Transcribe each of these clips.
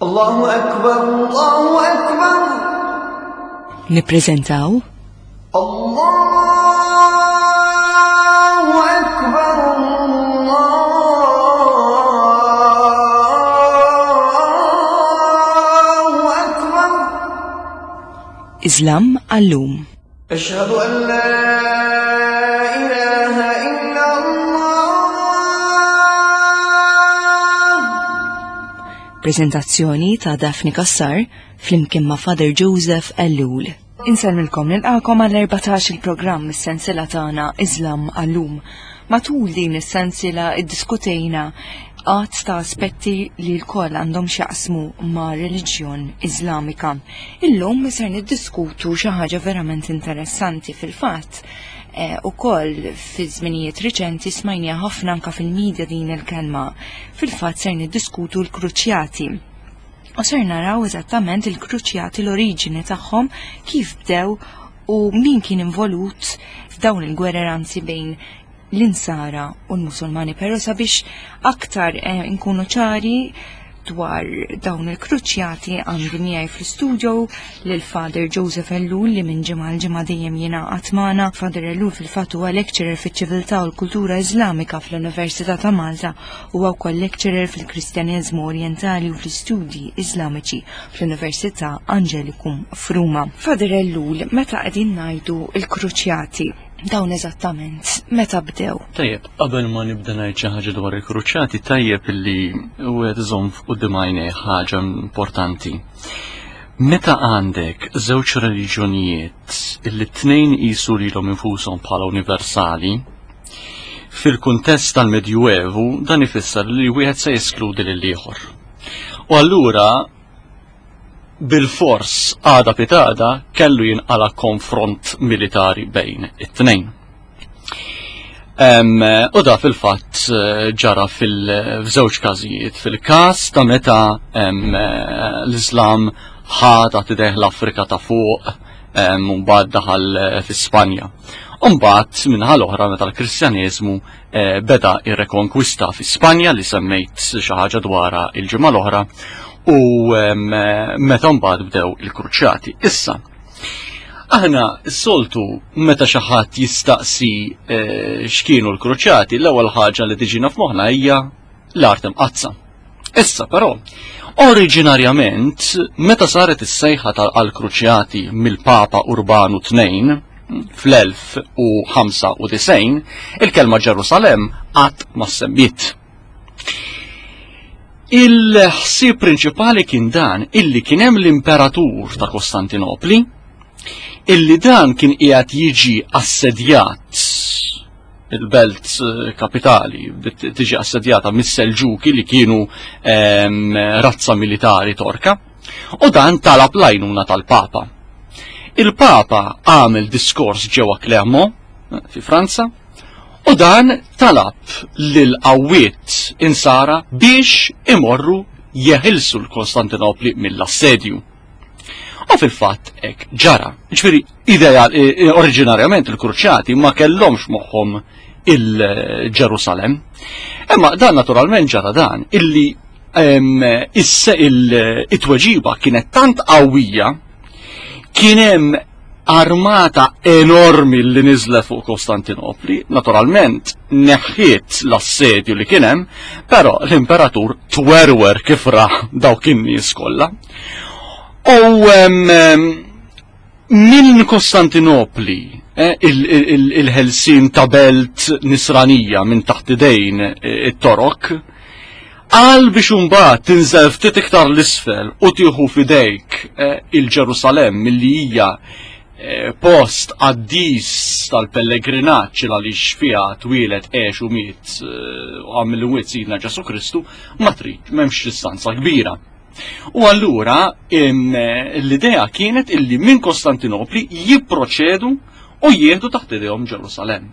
Allahu Akbar, Allahu Akbar. Nippreżentaw Allahu Akbar, Allahu Akbar. Islam għallum. Ashhadu an la ilaha illa Allah. Prezentazzjoni ta' Daphne Kassar flimkien ma' Father Joseph Ellul. Insellmilkom nilqakom għall-14 il-programm mis-sensiela tagħna Islam għallum. Matul din is-sensiela iddiskutejna għadd ta' aspetti li l-koll għandhom x'jaqsmu ma' reliġjon Iżlamika. Illum ser niddiskutu xi ħaġa verament interessanti fil-fatt. Eh, ukoll fi żminijiet riċenti smajnija ħafna anka fil-medja din il-kelma. Fil-fatt ser niddiskutu l-kruċjati. U ser naraw eżattament il-kruċjati l-oriġini tagħhom kif bdew u min kien involut f'dawn il-gwerer anzi bejn l-insara u l-Musulmani, però sabiex aktar eh, nkunu ċari dwar dawn il-kruċjati għandi miegħi fl-istudio lil Father Joseph Ellul li minn ġimgħa l ġimgħa dejjem jingħaqad magħna. Father Ellul fil-fatt huwa lecturer fiċ-ċiviltà u l-kultura Iżlamika fl-Università ta' Malta huwa wkoll lecturer fil-Kristjaneżmu Orjentali u fl-Istudji Iżlamiċi fl-Università Angelicum f'Ruma. Father Ellul, meta qegħdin ngħidu l-kruċjati, dawn eżattament meta bdew? Tajjeb, qabel ma nibda ngħid xi ħaġa dwar il-kruċjati, tajjeb illi wieħed iżomm quddiem għajnejh ħaġa importanti. Meta għandek żewġ reliġjonijiet illi t-tnejn qisu lilhom infushom bħala universali, fil-kuntest tal-Medjuevu dan ifisser li wieħed se jeskludi lil ieħor. U allura bilfors għada pitada kellu jinqala konfront militari bejn it-tnejn. U da fil-fatt eh, ġara fil-żewġ każijiet. Fil-każ ta' meta l-Islam ħa taħt idejh l-Afrika ta' fuq u mbagħad daħal eh, fi Spanja. U mbagħad minħa l-oħra meta l-Kristjaneżmu eh, beda ir-rekonkwista fi Spanja li semmejt xi ħaġa dwarha il-ġimgħa l-oħra u meta mbagħad bdew il-kruċjati. Issa, aħna s-soltu meta xi ħadd jistaqsi eh, x'kienu l-kruċjati, l-ewwel ħaġa li tiġina f'moħħna hija l-art imqaddsa. Issa però, oriġinarjament, meta saret is-sejħa tal-kruċjati mill-Papa Urbanu II fl-1095, il-kelma Ġerusalemm qatt ma semmiet. Il-ħsieb prinċipali kien dan illi kien hemm l-imperatur ta' Kostantinopli, illi dan kien qiegħed jiġi assedjat il-belt eh, kapitali tiġi assedjata mis-Selġuki li kienu ehm, razza militari torka u dan talab l-għajnuna tal-Papa. Il-Papa għamel diskors ġewwa Clermont eh, fi Franza u dan talab lil qawwiet insara biex imorru jeħilsu l-Konstantinopli mill-assedju. U fil-fatt hekk ġara. Ġifieri idea e, oriġinarjament il-Kruċjati ma kellhomx moħħhom il-Ġerusalem. Imma dan naturalment ġara dan illi it-tweġiba kienet tant qawwija kien hemm armata enormi li niżlet fuq Kostantinopli, naturalment neħħiet l-assedju li kien hemm, però l-imperatur twerwer kif ra dawk in-nies kollha. U minn Kostantinopli eh, il-ħelsin ta' belt nisranija minn taħt idejn eh, it-Torok, għal biex imbagħad tinżel ftit iktar l-isfel u tieħu f'idejk eh, il-Ġerusalemm milli hija eh, post qaddis tal-pellegrinaġġ għaliex fiha twieled għex u miet eh, u għamil wiet Sidna Ġesu Kristu, ma trid m'hemmx distanza kbira. U allura l-idea kienet illi minn Kostantinopli jipproċedu u jieħdu taħt idejhom Ġerusalemm.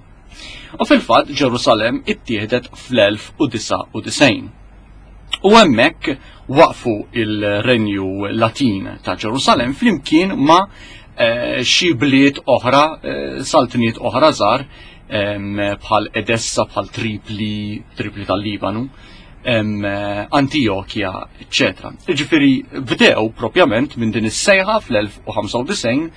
U fil-fatt Ġerusalemm ittieħdet fl-1099. U hemmhekk waqfu il-Renju Latin ta' Ġerusalemm flimkien ma' eh, xi bliet oħra, eh, saltniet oħra żgħar bħal Edessa, bħal Tripli, Tripli tal-Libanu. Antijokja, eċetera. Ġifieri bdew propjament minn din is-sejħa fl-1095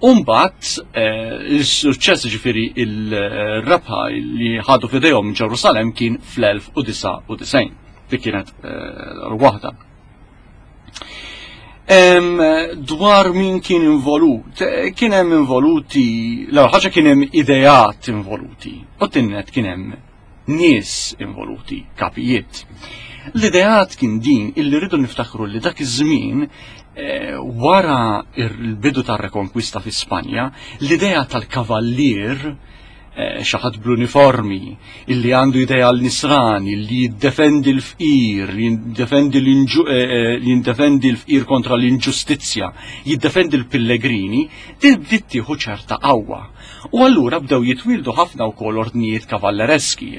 u mbagħad eh, il-suċċess ġifieri il-rebħa li ħadu f'idejhom Ġerusalem kien fl-1099. Dik kienet eh, waħda. Dwar min kien involut, eh, kien hemm involuti, l ħaġa kien hemm ideat involuti, u tinnet kien hemm nies involuti, kapijiet. L-ideat kien din illi rridu niftakru li dak iż-żmien eh, wara il-bidu tar-rekonkwista fi Spanja, l-idea tal-kavallier eh, xi ħadd bl-uniformi, illi għandu idea l-nisrani, li jiddefendi l-fqir, li jiddefendi eh, li l-fqir kontra l-inġustizzja, jiddefendi l-pillegrini, tibdiet tieħu ċerta qawwa. U allura bdew jitwieldu ħafna wkoll ordnijiet kavallereski.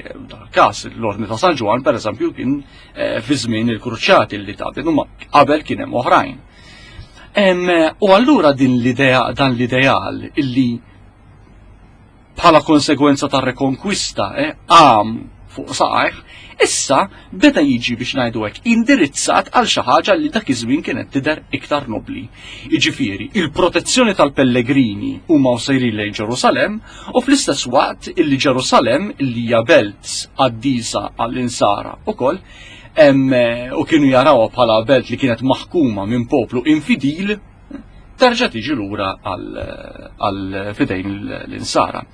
Każ l-Ordni ta' San Ġwann pereżempju kien eh, fi żmien il-Kruċjati li ta' huma qabel kien hemm oħrajn. U allura din l-idea dan l-ideal illi bħala konsegwenza ta' rekonkwista eh, għam fuq saqajh, issa beda jiġi biex ngħidu hekk indirizzat għal xi ħaġa li dak iż-żmien kienet tidher iktar nobli. Jiġifieri, il-protezzjoni tal-pellegrini huma sejrin lejn Ġerusalem u fl-istess waqt illi Ġerusalem li hija belt qaddisa għall-insara ukoll u kienu jarawha bħala belt li kienet maħkuma minn poplu infidil, terġa' tiġi lura għal fidejn l-insara.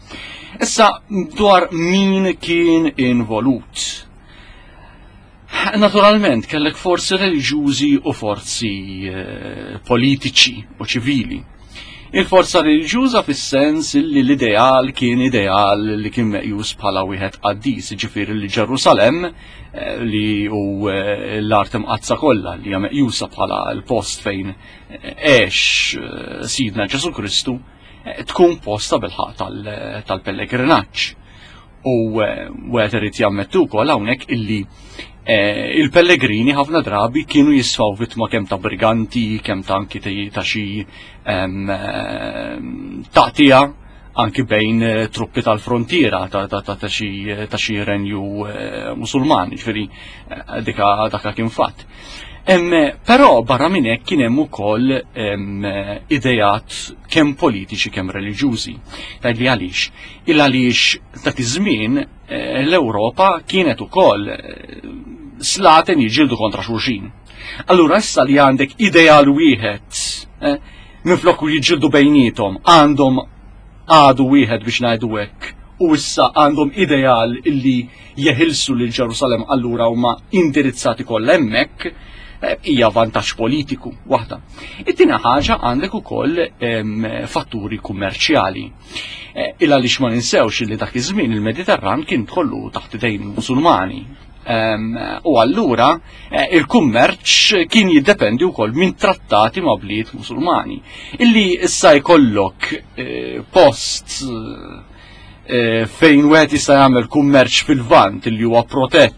Issa dwar min kien involut. Naturalment kellek forzi reliġjużi u forzi eh, politiċi u ċivili. Il-forza reliġjuża fis-sens li l-ideal kien ideal li kien meqjus bħala wieħed qaddis, ġifieri li Ġerusalem eh, li hu eh, l-art imqaddsa kollha li hija meqjusa bħala l-post fejn għex eh, Sidna Ġesu Kristu tkun posta bil-ħaq tal-pellegrinaġġ. U wieħed irid jammettu wkoll hawnhekk illi eh, il-pellegrini ħafna drabi kienu jisfaw vittma kemm ta' briganti, kemm ta' anki ta' xi taqtija anki bejn eh, truppi tal-frontiera ta' xi renju eh, musulman, ġifieri dika daka kien fatt. Però barra minn hekk kien hemm ukoll idejat kemm politiċi kemm reliġjużi. Tgħidli għaliex? Il għaliex dak iż-żmien eh, l-Ewropa kienet ukoll eh, slaten jiġildu kontra xulxin. Allura issa li għandek ideal wieħed eh, minflok jiġildu bejnietom għandhom għadu wieħed biex ngħidu hekk u issa għandhom ideal illi jeħilsu lil Ġerusalem allura huma indirizzati kollha hemmhekk eh, hija vantaġġ politiku waħda. It-tieni ħaġa għandek ukoll fatturi kummerċjali. Eh, il għaliex ma ninsewx li dak iż-żmien il-Mediterran kien kollu taħt idejn Musulmani. U allura eh, il-kummerċ kien jiddependi wkoll minn trattati ma' bliet Musulmani. Illi issa jkollok post Eh, fejn wieħed jista' jagħmel kummerċ fil-vant li huwa protett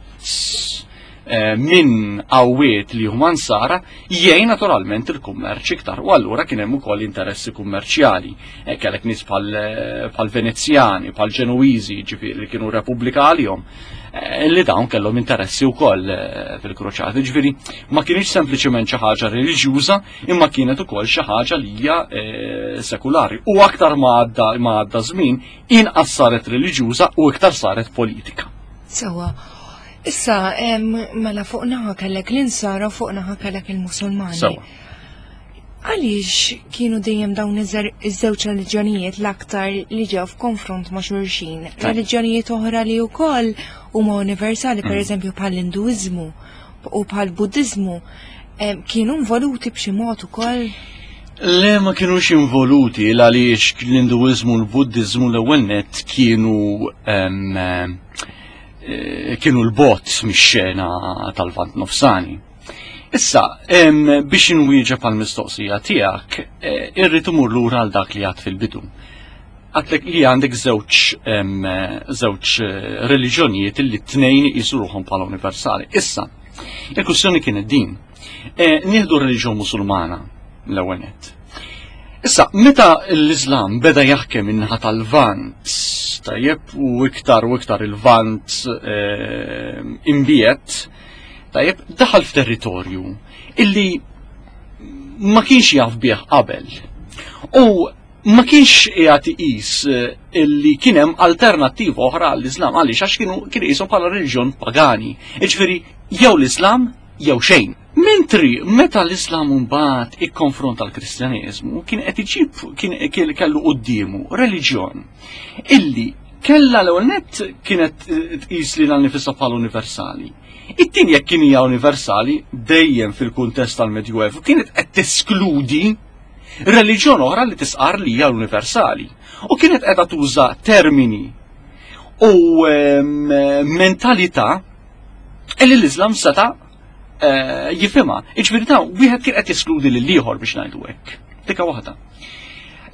eh, minn qawwiet li huma nsara jgħin naturalment il-kummerċ iktar. U allura kien hemm ukoll interessi kummerċjali. Eh, kellek nies bħal Venezjani, bħal Ġenuiżi, ġifieri li kienu Repubblika għalihom, li dawn kellhom interessi wkoll fil-kruċati. Ġifieri ma kienx sempliċement xi ħaġa reliġjuża, imma kienet ukoll xi ħaġa li hija eh, sekulari. U aktar ma għadda ma għadda żmien, inqas saret reliġjuża u iktar saret politika. Sewa. Issa, mela fuq naħa kellek l-insara u fuq naħa kellek il-Musulmani. Sewa. Għaliex kienu dejjem dawn iż-żewġ reliġjonijiet l-aktar li ġew f'konfront ma' xulxin? Reliġjonijiet oħra li wkoll huma universali, per eżempju bħall-Induiżmu u bħall-Buddiżmu, kienu involuti b'xi mod ukoll? Le ma kienux involuti għaliex l-Induiżmu u l-Buddiżmu l-ewwel nett kienu eh, kienu l-bot mix-xena tal-Vant Nofsani. Issa, biex inwieġeb għal mistoqsija tiegħek, eh, irrid imur lura għal dak li għad fil-bidu. Għatlek li għandek żewġ żewġ eh, reliġjonijiet li t-tnejn jisu ruħhom bħala universali. Issa, il-kwistjoni kienet din. E, nieħdu reliġjon Musulmana l-ewwel nett. Issa, meta l-Islam beda jaħkem in-naħa tal-Vant, tajjeb u iktar u iktar il-Vant e, imbiet, Tajjeb, daħal f'territorju illi ma kienx jaf bih qabel. U ma kienx qiegħed iqis eh, illi kien hemm alternattiva oħra għall-Islam għaliex għax kienu kien iqishom bħala reliġjon pagani. Jiġifieri jew l-Islam jew xejn. Mentri meta l-Islam mbagħad ikkonfronta l-Kristjaneżmu kien qed iġib kien kellu quddiemu reliġjon illi kella l-ewwel nett kienet eh, tqis lilha nifisha bħala universali. It-tieni jekk kien hija universali dejjem fil-kuntest tal-Medjuevu kienet qed teskludi reliġjon oħra li tisqar li hija universali. U kienet qiegħda tuża termini u mentalità li l-Islam seta' eh, jifhimha. Iġifieri ta' wieħed kien qed jeskludi lil ieħor biex ngħidu hekk. Dika waħda.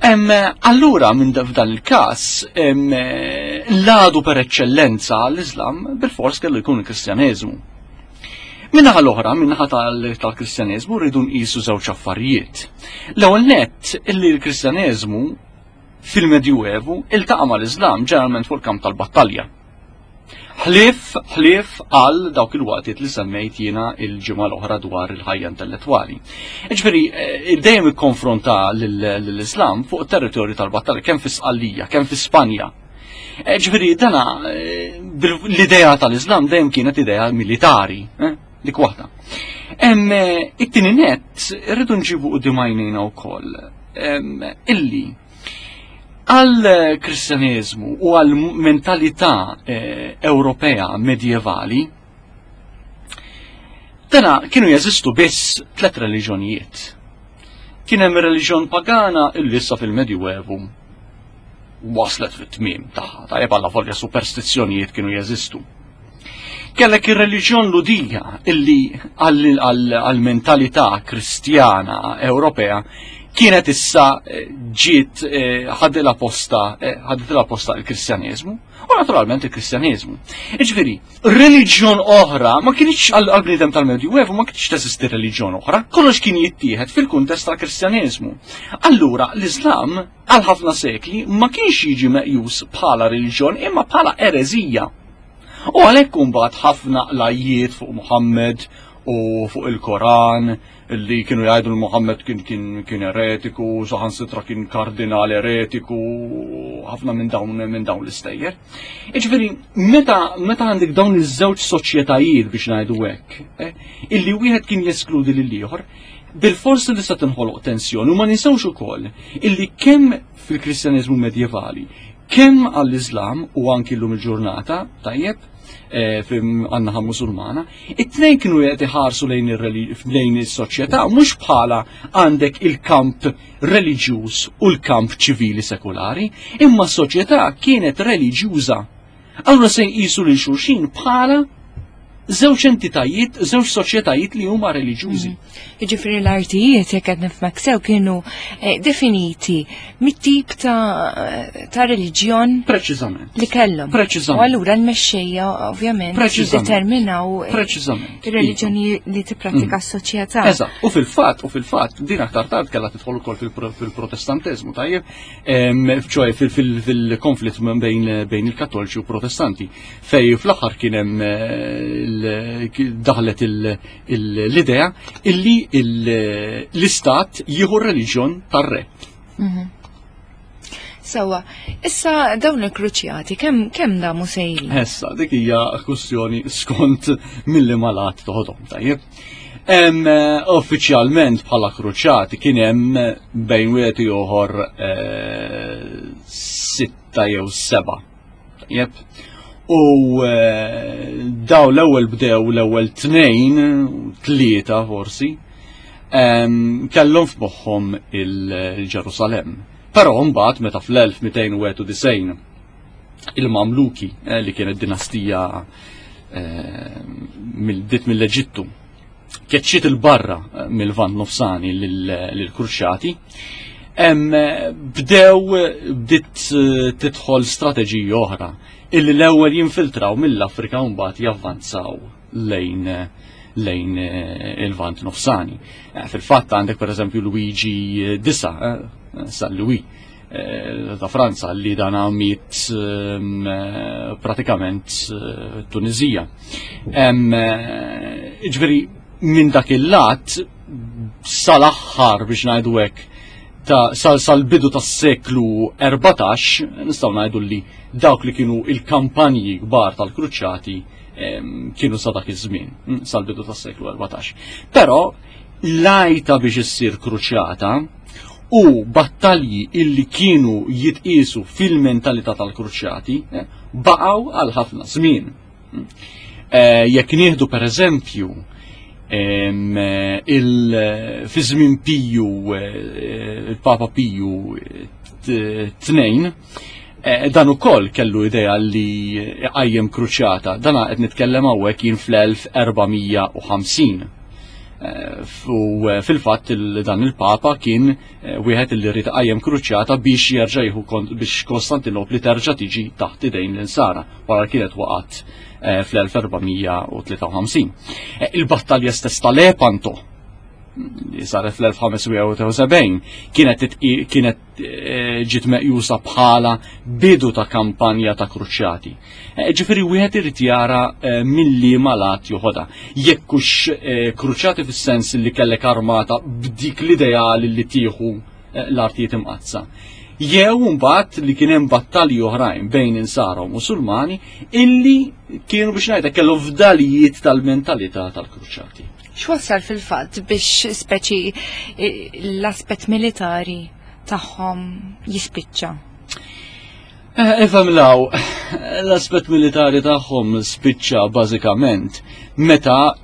Allura minn f'dan il-każ l-għadu per eċċellenza l-Islam bil-fors kellu jkun il-Kristjaneżmu. Minnaħa l-oħra, minnaħa tal-Kristjaneżmu rridu nqisu żewġ affarijiet. L-ewwel nett illi l-Kristjaneżmu fil-Medjuevu iltaqa' mal-Islam ġeneralment fuq il-kamp tal-battalja. Ħlief, ħlief għal dawk il-waqtiet li semmejt jiena il-ġimgħa l-oħra dwar il-ħajja intellettwali. Ġifieri, eh, dejjem ikkonfronta lill-Islam fuq territorju tal-battalja, kemm fi Sqallija, kemm fi Spanja. Eh, ġifieri, dana eh, l-idea tal-Islam dejjem kienet idea militari, dik waħda. It-tieni net, irridu nġibu quddiem għajnejna wkoll illi Għal Kristjaneżmu u għal mentalità eh, Ewropea medjevali, dana kienu jeżistu biss tlet reliġjonijiet. Kien hemm reliġjon pagana illi issa fil-Medjuevu waslet fit-tmiem tagħha, tajjeb għalla volja superstizzjonijiet kienu jeżistu. Kellek ir-reliġjon Lhudija illi għall-mentalità Kristjana Ewropea kienet issa eh, ġiet eh, ħadilha posta eh, ħadilha posta il-Kristjaneżmu u naturalment il-Kristjaneżmu. Iġifieri, reliġjon oħra ma kienx għall-bniedem tal-Medjuevu ma kienx teżisti reliġjon oħra, kollox kien jittieħed fil-kuntest tal-Kristjaneżmu. Allura l-Iżlam għal ħafna sekli ma kienx jiġi meqjus bħala reliġjon imma bħala ereżija. U għalhekk imbagħad ħafna qlajjiet fuq Muhammad u fuq il-Koran li kienu jgħidu l Muhammad kien kien kien eretiku, saħansitra kien kardinal eretiku, ħafna minn dawn minn dawn l-istejjer. Iġifieri meta meta għandek dawn iż-żewġ soċjetajiet biex ngħidu hekk, eh, illi wieħed kien jeskludi lil ieħor, bil-forsi li se tinħoloq tensjoni u ma ninsewx ukoll illi kemm fil-Kristjaneżmu medjevali kemm għall-Islam u anki llum il-ġurnata, tajjeb, eh, għan-naħa musulmana, it-tnejn kienu qed iħarsu lejn is-soċjetà mhux bħala għandek il-kamp reliġjuż u l-kamp ċivili sekulari, imma s-soċjetà kienet reliġjuża. Allura se jqisu lil xulxin bħala żewġ entitajiet, żewġ soċjetajiet li huma reliġjużi. Mm. Jiġifieri l-artijiet jekk qed nifhmek sew kienu eh, definiti mit-tip ta', ta reliġjon Preċiżament. Li kellhom. Preċiżament. U allura l-mexxejja ovvjament determinaw eh, Preċiżament. ir-reliġjoni li tipprattika mm. s-soċjetà. Eżatt, u fil-fatt, u fil-fatt, din aktar tard kellha tidħol ukoll fil-Protestanteżmu, tajjeb, ċoe fil-konflitt bejn il-Kattoliċi u Protestanti. Fej fl-aħħar kien hemm eh, daħlet l-idea illi l-istat jieħu r-reliġjon tar-re. Mhm. Sawa, issa dawn il-kruċjati kemm kemm damu sejrin? Issa, dik hija kwestjoni skont milli malat toħodhom, tajjeb. Eh, uffiċjalment bħala kruċjati kien hemm bejn wieħed ieħor eh, sitta jew seba' Jep. U eh, daw l-ewwel bdew l-ewwel tnejn, tlieta forsi, kellhom f'moħħhom il-Ġerusalem. Però mbagħad meta fl-1291 il-Mamluki eh, li kienet dinastija eh, dit mill-Eġittu keċċiet il-barra eh, mill-Lvant Nofsani lill-Kruċjati, bdew bdiet eh, tidħol strateġiji oħra illi l-ewwel jinfiltraw mill-Afrika u mbagħad javvanzaw lejn lejn eh, il-Vant Nofsani. Fil-fatt għandek pereżempju Luigi Disa, San Louis, ta' Franza li dan miet ehm, pratikament Tunizija. Ġifieri minn dak il-lat sal-aħħar biex ngħidu hekk ta' sal-bidu tas-seklu 14 nistgħu ngħidu li dawk li kienu il-kampanji kbar tal-kruċjati kienu sa dak iż-żmien, hm, sal-bidu tas-seklu 14. Però l-għajta biex issir kruċjata u battalji illi kienu jitqisu fil-mentalità tal-kruċjati eh, baqgħu għal ħafna żmien. Hm. Eh, jekk nieħdu per eżempju fi żmien Piju eh, il-Papa Piju tnejn, Eh, dan ukoll kellu idea li qajjem kruċjata. Dan qed nitkellem hawnhekk jien fl-1450. Eh, u eh, fil-fatt dan il-Papa kien wieħed li rrid qajjem kruċjata biex jerġa' jieħu biex Konstantinopli terġa' tiġi taħt idejn l-insara wara kienet waqgħet fl-1453. Il-battalja stess tal-Lepanto li saret fl-1571 kienet kienet eh, ġiet meqjusa bħala bidu ta' kampanja ta' kruċjati. Eh, ġifieri wieħed irid jara eh, milli malat joħodha. Jekk hux kruċjati fis-sens li kellek armata b'dik l-ideali li tieħu l-artijiet imqazza. Jew mbagħad li kien hemm battalji oħrajn bejn insara u Musulmani illi kienu biex ngħidha kellhom fdalijiet tal-mentalità tal-kruċjati. X'wassal fil-fatt biex speċi l-aspett militari tagħhom jispiċċa? Eh, ifhem law, l-aspett militari tagħhom spiċċa bażikament meta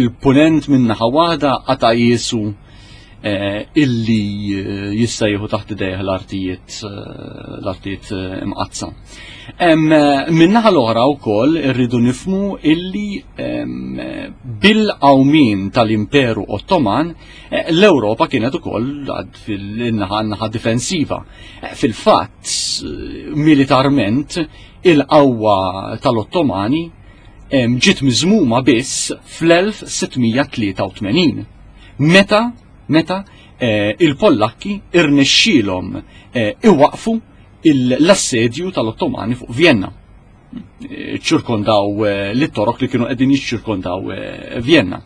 il-punent minn naħa waħda qata' jisu eh, illi eh, jista' jieħu taħt idejh l-artijiet l-artijiet imqaddsa. Min-naħa l-oħra wkoll irridu nifmu illi bil-qawmien tal-Imperu Ottoman eh, l-Ewropa kienet ukoll fil-naħa naħa difensiva. Eh, fil-fatt, militarment, il-qawwa tal-Ottomani ġiet miżmuma biss fl-1683. Meta meta eh, il-Pollakki irnexxielhom iwaqfu l-assedju tal-Ottomani fuq Vienna. ċirkondaw eh, l-torok li kienu qegħdin jiċċirkondaw eh, Vienna.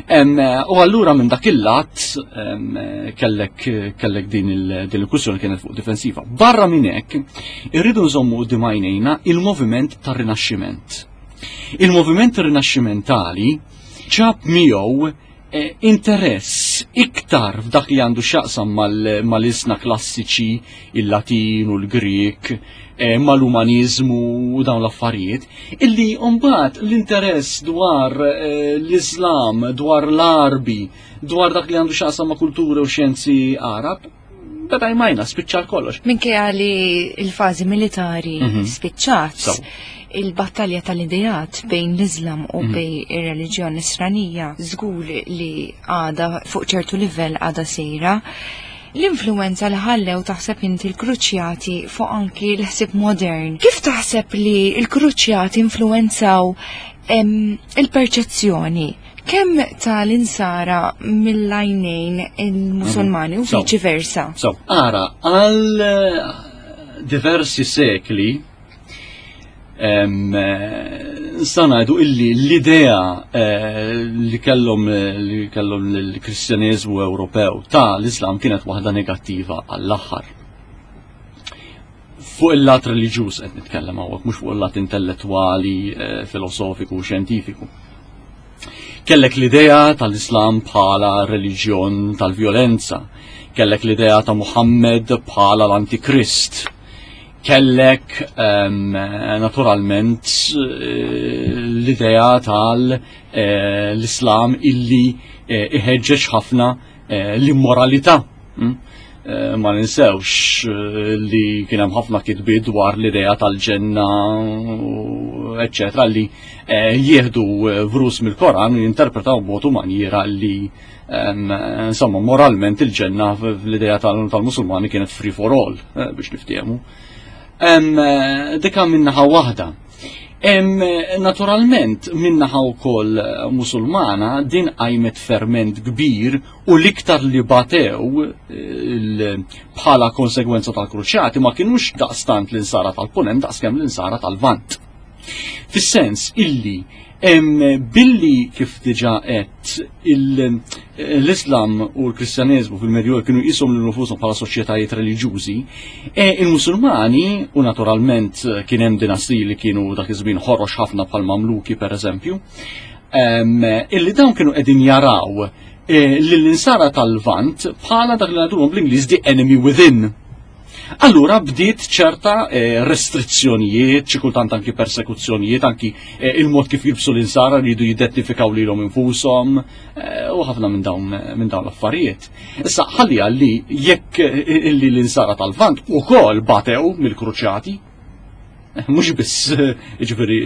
Eh, u allura minn dak il-lat kellek kellek din il-kwistjoni kienet fuq difensiva. Barra minn hekk, irridu nżommu quddiem għajnejna il-moviment tar-Rinaxximent. Il-moviment rinaxximentali ġab miegħu Eh, interess iktar f'dak li għandu x'jaqsam mal-isna klassiċi, il-Latin u l-Grek, eh, mal-umanizmu u dawn l-affarijiet, illi mbagħad l-interess dwar eh, l-Islam, dwar l-Arbi, dwar dak li għandu x'jaqsam ma' kultura u xjenzi Arab, beda jmajna, spiċċa kollox. Minkejja li l-fażi militari mhm. spiċċat, il-battalja tal-idejat bejn l-Islam u mhm. bejn ir-reliġjon nisranija żgur li għada fuq ċertu livell għada sejra. L-influenza li ħallew taħseb inti l-kruċjati fuq anki l-ħsieb modern. Kif taħseb li l-kruċjati influenzaw il-perċezzjoni Kemm tal-insara mill-għajnejn il-Musulmani u viċi versa. So, ara, għal eh, diversi sekli eh, nistgħu ngħidu illi l-idea eh, li kellhom li kellhom l-Kristjaneżmu Ewropew ta' l-Islam kienet waħda negattiva għall-aħħar. Fuq il-lat reliġjuż qed nitkellem hawnhekk, mhux fuq il-lat intellettwali, eh, filosofiku u xjentifiku. Kellek l-idea tal-Islam bħala reliġjon tal-vjolenza, kellek l-idea ta' Muhammad bħala l-Antikrist, kellek um, naturalment eh, l-idea tal-Islam eh, illi iħeġġeġ ħafna Eh, l-immoralità. Hmm? Eh, ma ninsewx eh, li kien hemm ħafna kitbiet dwar l-idea tal-ġenna, eccetera, li jieħdu vrus mill-Koran u jinterpretaw b'mod u manjiera li insomma moralment il-ġenna fl-idea tal-Musulmani kienet free for all biex niftehmu. Dika minnaħa waħda. Naturalment, minnaħa wkoll eh, Musulmana din qajmet ferment kbir u l-iktar li batew eh, bħala konsegwenza tal-kruċjati ma kienux daqstant l-insara tal-punent daqskemm l-insara tal-vant. Fis-sens illi Billi kif diġa qed l-Islam u l-Kristjaneżmu fil-Medju kienu jisom lil nfushom bħala soċjetajiet reliġjużi, e, il-Musulmani u naturalment kien hemm dinastiji li kienu dak iż-żmien ħorox ħafna bħal Mamluki pereżempju, illi dawn kienu qegħdin jaraw e, lill-insara tal-Lvant bħala dak li ngħidulhom bl-Ingliż the enemy within. Allura bdiet ċerta eh, restrizzjonijiet, xi kultant anki persekuzzjonijiet, anki eh, il-mod kif jilbsu l-insara li jridu jidentifikaw lilhom infushom eh, u ħafna minn dawn minn dawn l-affarijiet. Issa ħalli li jekk illi l-insara tal-Vant ukoll batew mill-kruċjati, mhux biss jiġifieri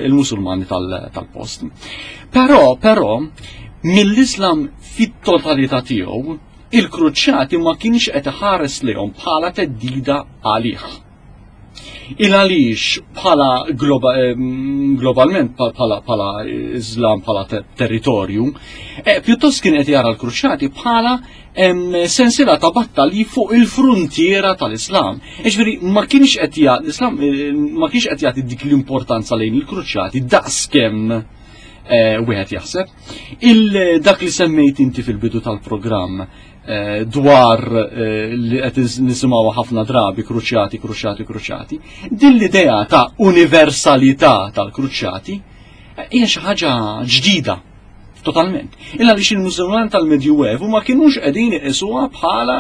il-Musulmani tal-post. Però, però, mill-Islam fit-totalità tiegħu il-kruċjati ma kienx qed iħares lejhom bħala theddida għalih. Il għaliex bħala globa, globalment bħala bħala Islam bħala territorju, e, pjuttost kien qed jara l-kruċjati bħala sensiela ta' battalji fuq il-fruntiera tal-Islam. Iġifieri ma kienx qed l-Islam eh, ma kienx qed jagħti dik l-importanza lejn il-kruċjati daqskemm eh, wieħed jaħseb. Il-dak li semmejt inti fil-bidu tal-programm eh, dwar eh, li qed nisimgħu ħafna drabi kruċjati, kruċjati, kruċjati, din l-idea ta' universalità tal-kruċjati eh, hija xi ħaġa ġdida totalment. Illa li il-Musulman tal-Medjuevu ma kienux qegħdin iqisuha bħala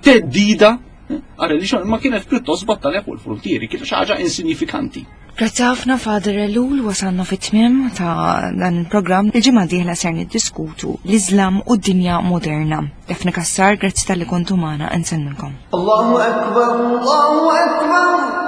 teddida għal-reliġjon ma kienet pjuttost battalja fuq il-frontieri, kienet xi ħaġa insignifikanti. Grazzi ħafna Father Elul wasalna fit-tmiem ta' dan il-programm. Il-ġimgħa dieħla ser niddiskutu l-Iżlam u d-dinja moderna. Daphne Kassar, grazzi tal-li kontu magħna insellmilkom. Allahu Akbar, Allahu Akbar.